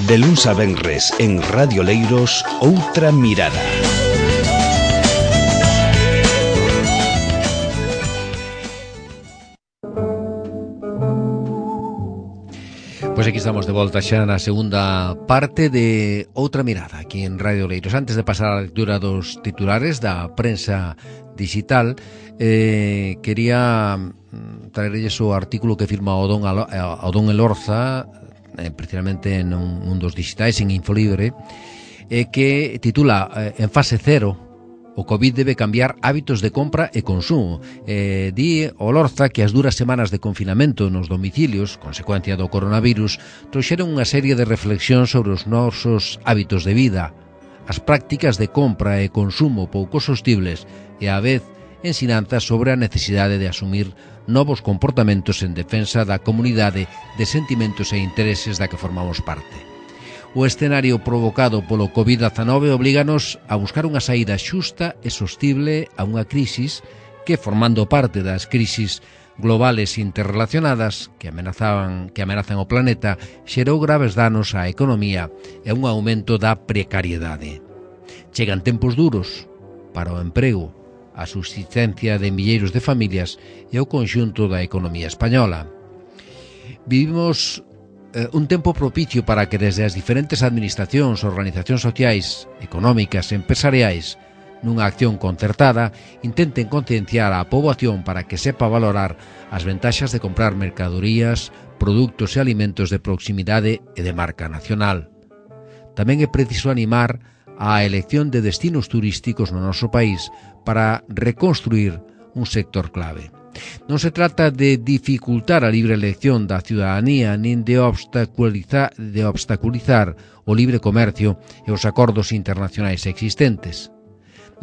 De luns a venres en Radio Leiros, Outra Mirada. Pois aquí estamos de volta xa na segunda parte de Outra Mirada aquí en Radio Leiros. Antes de pasar a lectura dos titulares da prensa digital, quería traerlles o artículo que firma o Don Elorza, precisamente en un dos digitais, en Infolibre, que titula En fase cero, o Covid debe cambiar hábitos de compra e consumo. Di Olorza que as duras semanas de confinamento nos domicilios, consecuencia do coronavirus, trouxeron unha serie de reflexións sobre os nosos hábitos de vida, as prácticas de compra e consumo pouco sostibles e, á vez, ensinanzas sobre a necesidade de asumir novos comportamentos en defensa da comunidade de sentimentos e intereses da que formamos parte. O escenario provocado polo COVID-19 oblíganos a buscar unha saída xusta e sostible a unha crisis que, formando parte das crisis globales interrelacionadas que amenazan o planeta, xerou graves danos á economía e un aumento da precariedade. Chegan tempos duros para o emprego, a subsistencia de milleiros de familias e o conxunto da economía española. Vivimos un tempo propicio para que desde as diferentes administracións, organizacións sociais, económicas e empresariais, nunha acción concertada, intenten concienciar á poboación para que sepa valorar as ventaxas de comprar mercadorías, produtos e alimentos de proximidade e de marca nacional. Tamén é preciso animar a elección de destinos turísticos no noso país para reconstruir un sector clave. Non se trata de dificultar a libre elección da ciudadanía nin de obstaculizar o libre comercio e os acordos internacionais existentes.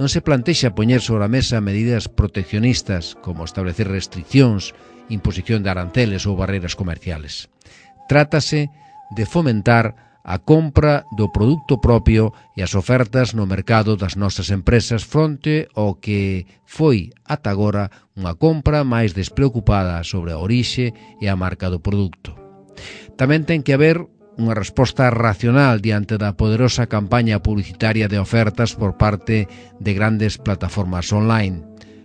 Non se plantexa poñer sobre a mesa medidas proteccionistas como establecer restriccións, imposición de aranceles ou barreras comerciales. Trátase de fomentar a compra do produto propio e as ofertas no mercado das nosas empresas fronte ao que foi ata agora unha compra máis despreocupada sobre a orixe e a marca do produto. Tamén ten que haber unha resposta racional diante da poderosa campaña publicitaria de ofertas por parte de grandes plataformas online,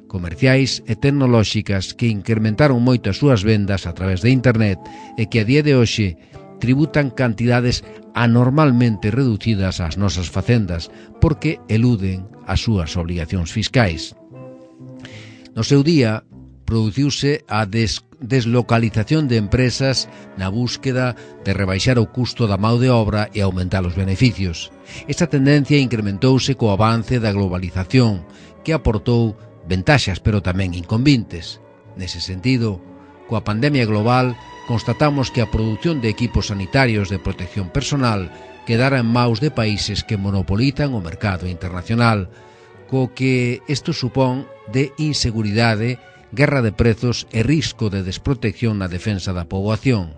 comerciais e tecnolóxicas que incrementaron moito as súas vendas a través de internet e que a día de hoxe tributan cantidades anormalmente reducidas ás nosas facendas porque eluden as súas obligacións fiscais. No seu día, produciuse a deslocalización de empresas na búsqueda de rebaixar o custo da mão de obra e aumentar os beneficios. Esta tendencia incrementouse co avance da globalización, que aportou ventaxas pero tamén inconvenientes. Nese sentido, coa pandemia global, constatamos que a produción de equipos sanitarios de protección personal quedara en maus de países que monopolizan o mercado internacional, co que isto supón de inseguridade, guerra de prezos e risco de desprotección na defensa da poboación.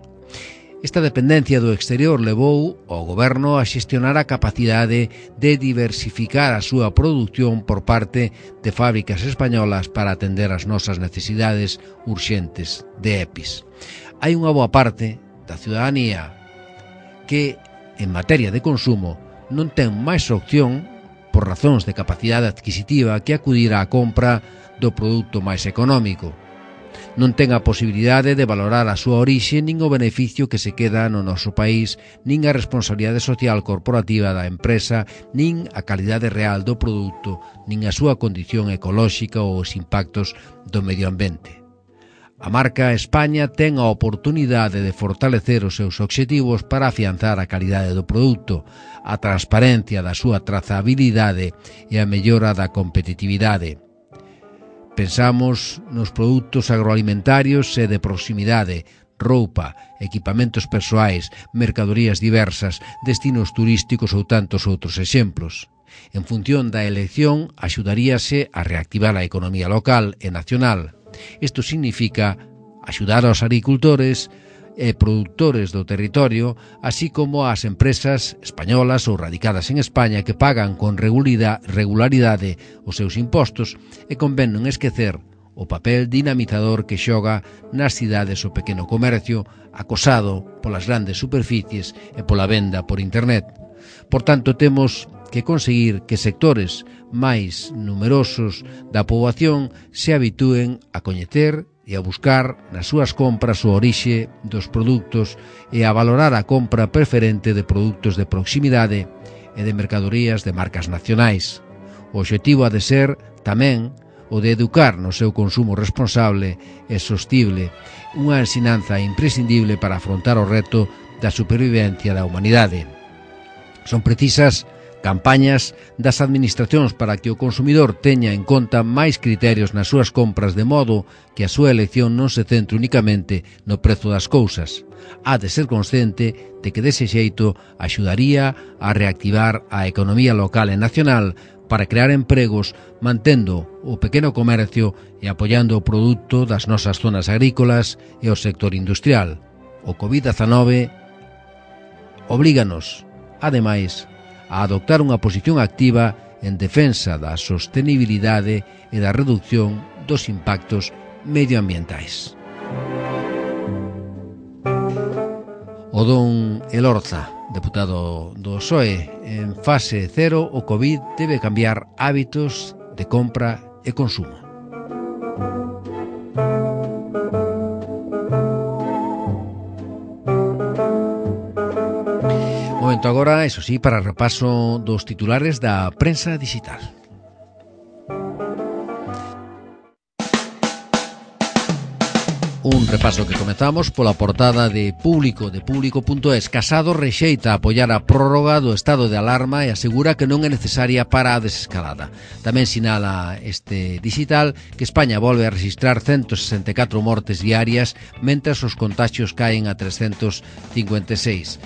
Esta dependencia do exterior levou ao goberno a xestionar a capacidade de diversificar a súa produción por parte de fábricas españolas para atender as nosas necesidades urxentes de EPIs. Hai unha boa parte da ciudadanía que, en materia de consumo, non ten máis opción, por razóns de capacidade adquisitiva, que acudir á compra do produto máis económico. Non ten a posibilidade de valorar a súa orixe nin o beneficio que se queda no noso país, nin a responsabilidade social corporativa da empresa, nin a calidade real do produto, nin a súa condición ecolóxica ou os impactos do medio ambiente. A marca España ten a oportunidade de fortalecer os seus obxectivos para afianzar a calidade do produto, a transparencia da súa trazabilidade e a mellora da competitividade. Pensamos nos produtos agroalimentarios e de proximidade, roupa, equipamentos persoais, mercadorías diversas, destinos turísticos ou tantos outros exemplos. En función da elección, axudaríase a reactivar a economía local e nacional. Isto significa axudar aos agricultores e produtores do territorio, así como ás empresas españolas ou radicadas en España que pagan con regularidade os seus impostos, e convén non esquecer o papel dinamizador que xoga nas cidades o pequeno comercio acosado polas grandes superficies e pola venda por internet. Por tanto, temos que conseguir que sectores máis numerosos da poboación se habitúen a coñecer e a buscar nas súas compras o orixe dos produtos e a valorar a compra preferente de produtos de proximidade e de mercadorías de marcas nacionais. O obxectivo ha de ser tamén o de educar no seu consumo responsable e sostible, unha ensinanza imprescindible para afrontar o reto da supervivencia da humanidade. Son precisas campañas das administracións para que o consumidor teña en conta máis criterios nas súas compras, de modo que a súa elección non se centre únicamente no prezo das cousas. Ha de ser consciente de que dese xeito axudaría a reactivar a economía local e nacional para crear empregos, mantendo o pequeno comercio e apoiando o produto das nosas zonas agrícolas e o sector industrial. O COVID-19 oblíganos, ademais, a adoptar unha posición activa en defensa da sostenibilidade e da reducción dos impactos medioambientais. O don Elorza, deputado do PSOE, en fase cero o COVID debe cambiar hábitos de compra e consumo. Momento agora, eso sí, para repaso dos titulares da prensa digital. Un repaso que comezamos pola portada de Público.es. Casado rexeita apoiar a prórroga do estado de alarma e asegura que non é necesaria para a desescalada. Tamén sinala este digital que España volve a registrar 164 mortes diarias, mentras os contagios caen a 356.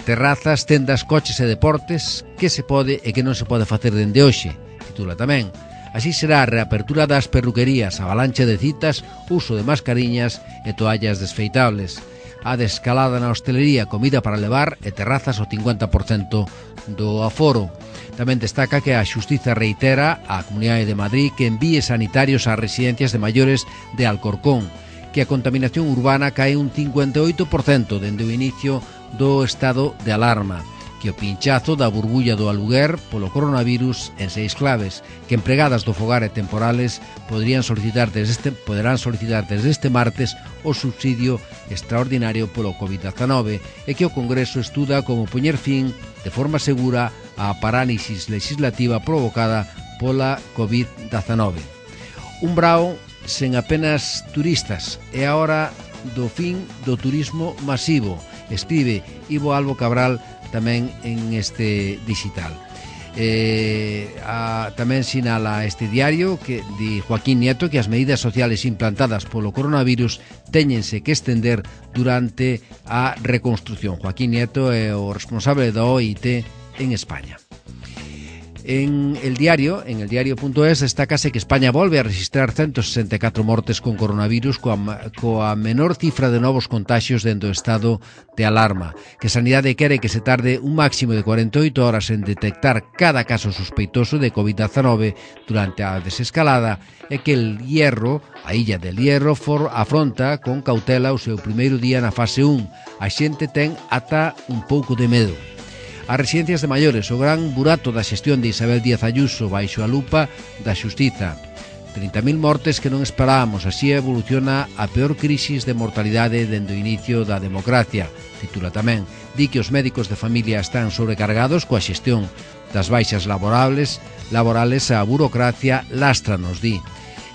Terrazas, tendas, coches e deportes, que se pode e que non se pode facer dende hoxe, titula tamén. Así será a reapertura das perruquerías, avalancha de citas, uso de mascariñas e toallas desfeitables. A desescalada na hostelería, comida para levar e terrazas ao 50% do aforo. Tamén destaca que a Xustiza reitera á Comunidade de Madrid que envíe sanitarios ás residencias de maiores de Alcorcón, que a contaminación urbana cae un 58% dende o inicio do estado de alarma, que o pinchazo da burbulla do aluguer polo coronavirus en 6 claves, que empregadas do fogar e temporales poderán solicitar desde este martes o subsidio extraordinario polo COVID-19 e que o Congreso estuda como poñer fin de forma segura á parálisis legislativa provocada pola COVID-19. Un brao sen apenas turistas e a hora do fin do turismo masivo, escribe Ivo Albo Cabral tamén en este digital. Tamén sinala este diario que di Joaquín Nieto que as medidas sociales implantadas polo coronavirus téñense que estender durante a reconstrucción. Joaquín Nieto é o responsable da OIT en España. En el diario.es destácase que España volve a registrar 164 mortes con coronavirus coa menor cifra de novos contagios dentro do estado de alarma, que Sanidade quere que se tarde un máximo de 48 horas en detectar cada caso sospeitoso de COVID-19 durante a desescalada e que a Illa del Hierro afronta con cautela o seu primeiro día na fase 1. A xente ten ata un pouco de medo. As residencias de maiores, o gran burato da xestión de Isabel Díaz Ayuso baixo a lupa da Xustiza. 30.000 mortes que non esperábamos, así evoluciona a peor crisis de mortalidade dende o inicio da democracia, titula tamén. Di que os médicos de familia están sobrecargados coa xestión das baixas laborales, a burocracia lastra, nos di.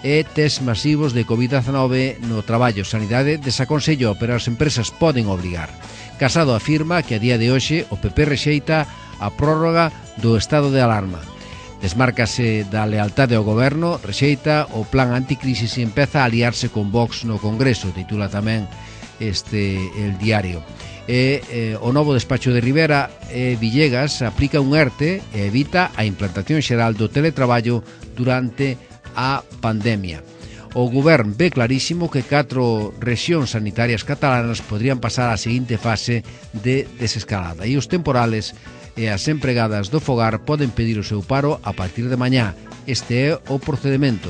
E test masivos de COVID-19 no traballo. Sanidade desaconsellou, pero as empresas poden obrigar. Casado afirma que a día de hoxe o PP rexeita a prórroga do estado de alarma. Desmárcase da lealtade ao goberno, rexeita o plan anticrisis e empeza a aliarse con Vox no Congreso, titula tamén el diario. O novo despacho de Rivera Villegas aplica un ERTE e evita a implantación xeral do teletraballo durante a pandemia. O Govern ve clarísimo que 4 rexións sanitarias catalanas podrían pasar á seguinte fase de desescalada e os temporales e as empregadas do fogar poden pedir o seu paro a partir de mañá. Este é o procedimento.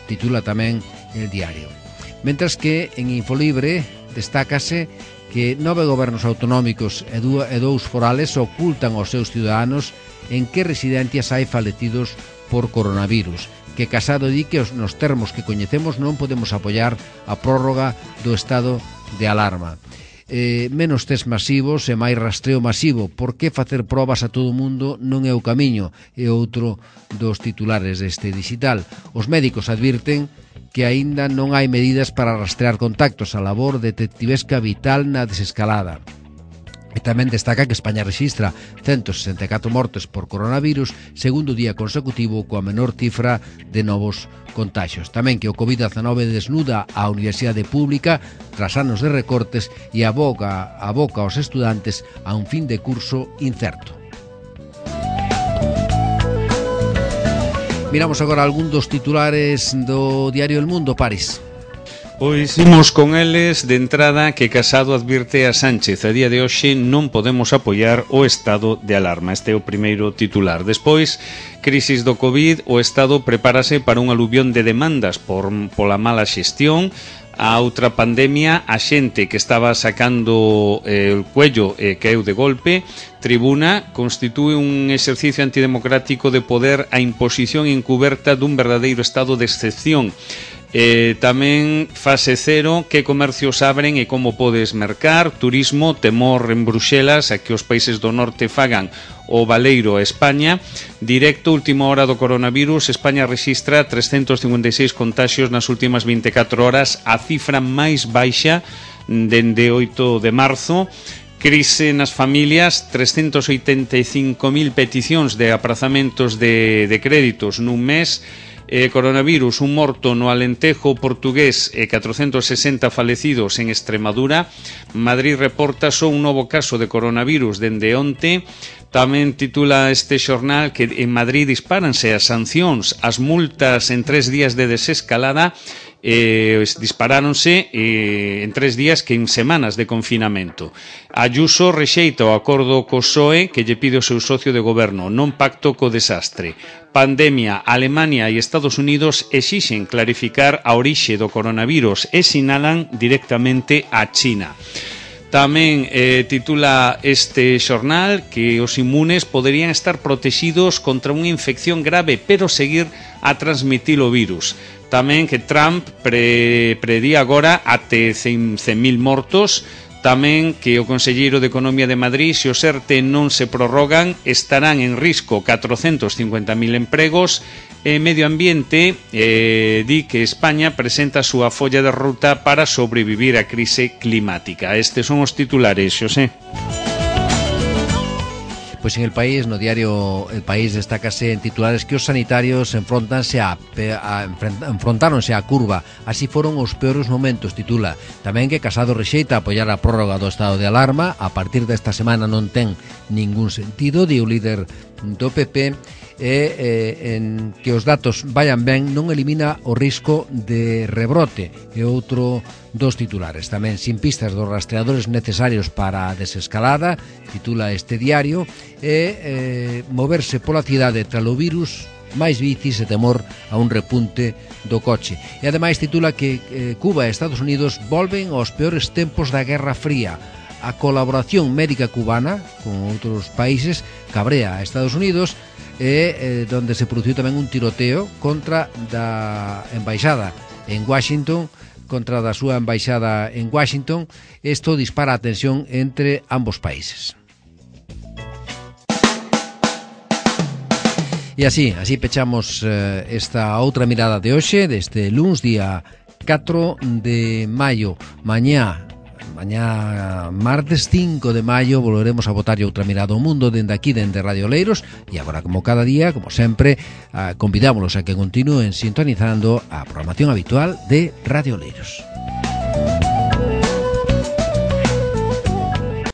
titula tamén el diario. Mentras que en Infolibre destácase que 9 gobernos autonómicos e 2 forales ocultan aos seus ciudadanos en que residencias hai falecidos por coronavirus, que Casado di que nos termos que coñecemos non podemos apoiar a prórroga do estado de alarma. Menos test masivos e máis rastreo masivo. Por que facer probas a todo o mundo non é o camiño? É outro dos titulares deste digital. Os médicos advirten que aínda non hai medidas para rastrear contactos. A labor detectivesca vital na desescalada. E tamén destaca que España rexistra 164 mortes por coronavirus, segundo día consecutivo coa menor cifra de novos contaxios. Tamén que o COVID-19 desnuda a Universidade Pública tras anos de recortes e aboca aos estudantes a un fin de curso incerto. Miramos agora algún dos titulares do diario El Mundo, París. Pois imos con eles. De entrada, que Casado advirte a Sánchez: a día de hoxe non podemos apoiar o estado de alarma. Este é o primeiro titular. Despois, crisis do COVID, o Estado prepárase para un aluvión de demandas pola mala xestión. A outra pandemia, a xente que estaba sacando el cuello caeu de golpe. Tribuna: constitúe un exercicio antidemocrático de poder a imposición encuberta dun verdadeiro estado de excepción. Tamén fase cero: que comercios abren e como podes mercar. Turismo: temor en Bruxelas a que os países do norte fagan o baleiro a España. Directo: última hora do coronavirus, España rexistra 356 contaxios nas últimas 24 horas, a cifra máis baixa dende 8 de marzo. Crise nas familias: 385.000 peticións de aprazamentos de créditos nun mes. Coronavirus: un morto no Alentejo portugués e 460 falecidos en Extremadura. Madrid reporta só un novo caso de coronavirus dende onte. Tamén titula este xornal que en Madrid dispáranse as sancións, as multas en 3 días de desescalada. Disparáronse en 3 días que en semanas de confinamento. Ayuso rexeita o acordo co PSOE que lle pide o seu socio de goberno: non pacto co desastre. Pandemia: Alemania e Estados Unidos exixen clarificar a orixe do coronavirus e sinalan directamente a China. Tamén titula este xornal que os inmunes poderían estar protegidos contra unha infección grave, pero seguir a transmitir o virus. Tamén que Trump predí agora até 100.000 mortos. Tamén que o conselleiro de Economía de Madrid: se os ERTE non se prorrogan, estarán en risco 450.000 empregos. Medio Ambiente di que España presenta a súa folla de ruta para sobrevivir á crise climática. Estes son os titulares, Xosé. Pois en El País, no diario El País, destácase en titulares que os sanitarios enfrontáronse á curva. Así foron os peores momentos, titula. Tamén que Casado rexeita apoiar a prórroga do estado de alarma. A partir desta semana non ten ningún sentido, di o líder do PP. En que os datos vayan ben non elimina o risco de rebrote. E outro dos titulares. Tamén sin pistas dos rastreadores necesarios para a desescalada, titula este diario. Moverse pola cidade tras o virus, máis bicis e temor a un repunte do coche. E ademais titula que Cuba e Estados Unidos volven aos peores tempos da Guerra Fría. A colaboración médica cubana con outros países cabrea a Estados Unidos, donde se produciu tamén un tiroteo contra da embaixada en Washington, contra da súa embaixada en Washington. Isto dispara a tensión entre ambos países. E así pechamos esta outra mirada de hoxe, deste luns, día 4 de maio. Mañá martes 5 de maio volveremos a botarlle outra mirada ao mundo dende aquí, dende Radio Oleiros. E agora, como cada día, como sempre, convidámonos a que continúen sintonizando a programación habitual de Radio Oleiros.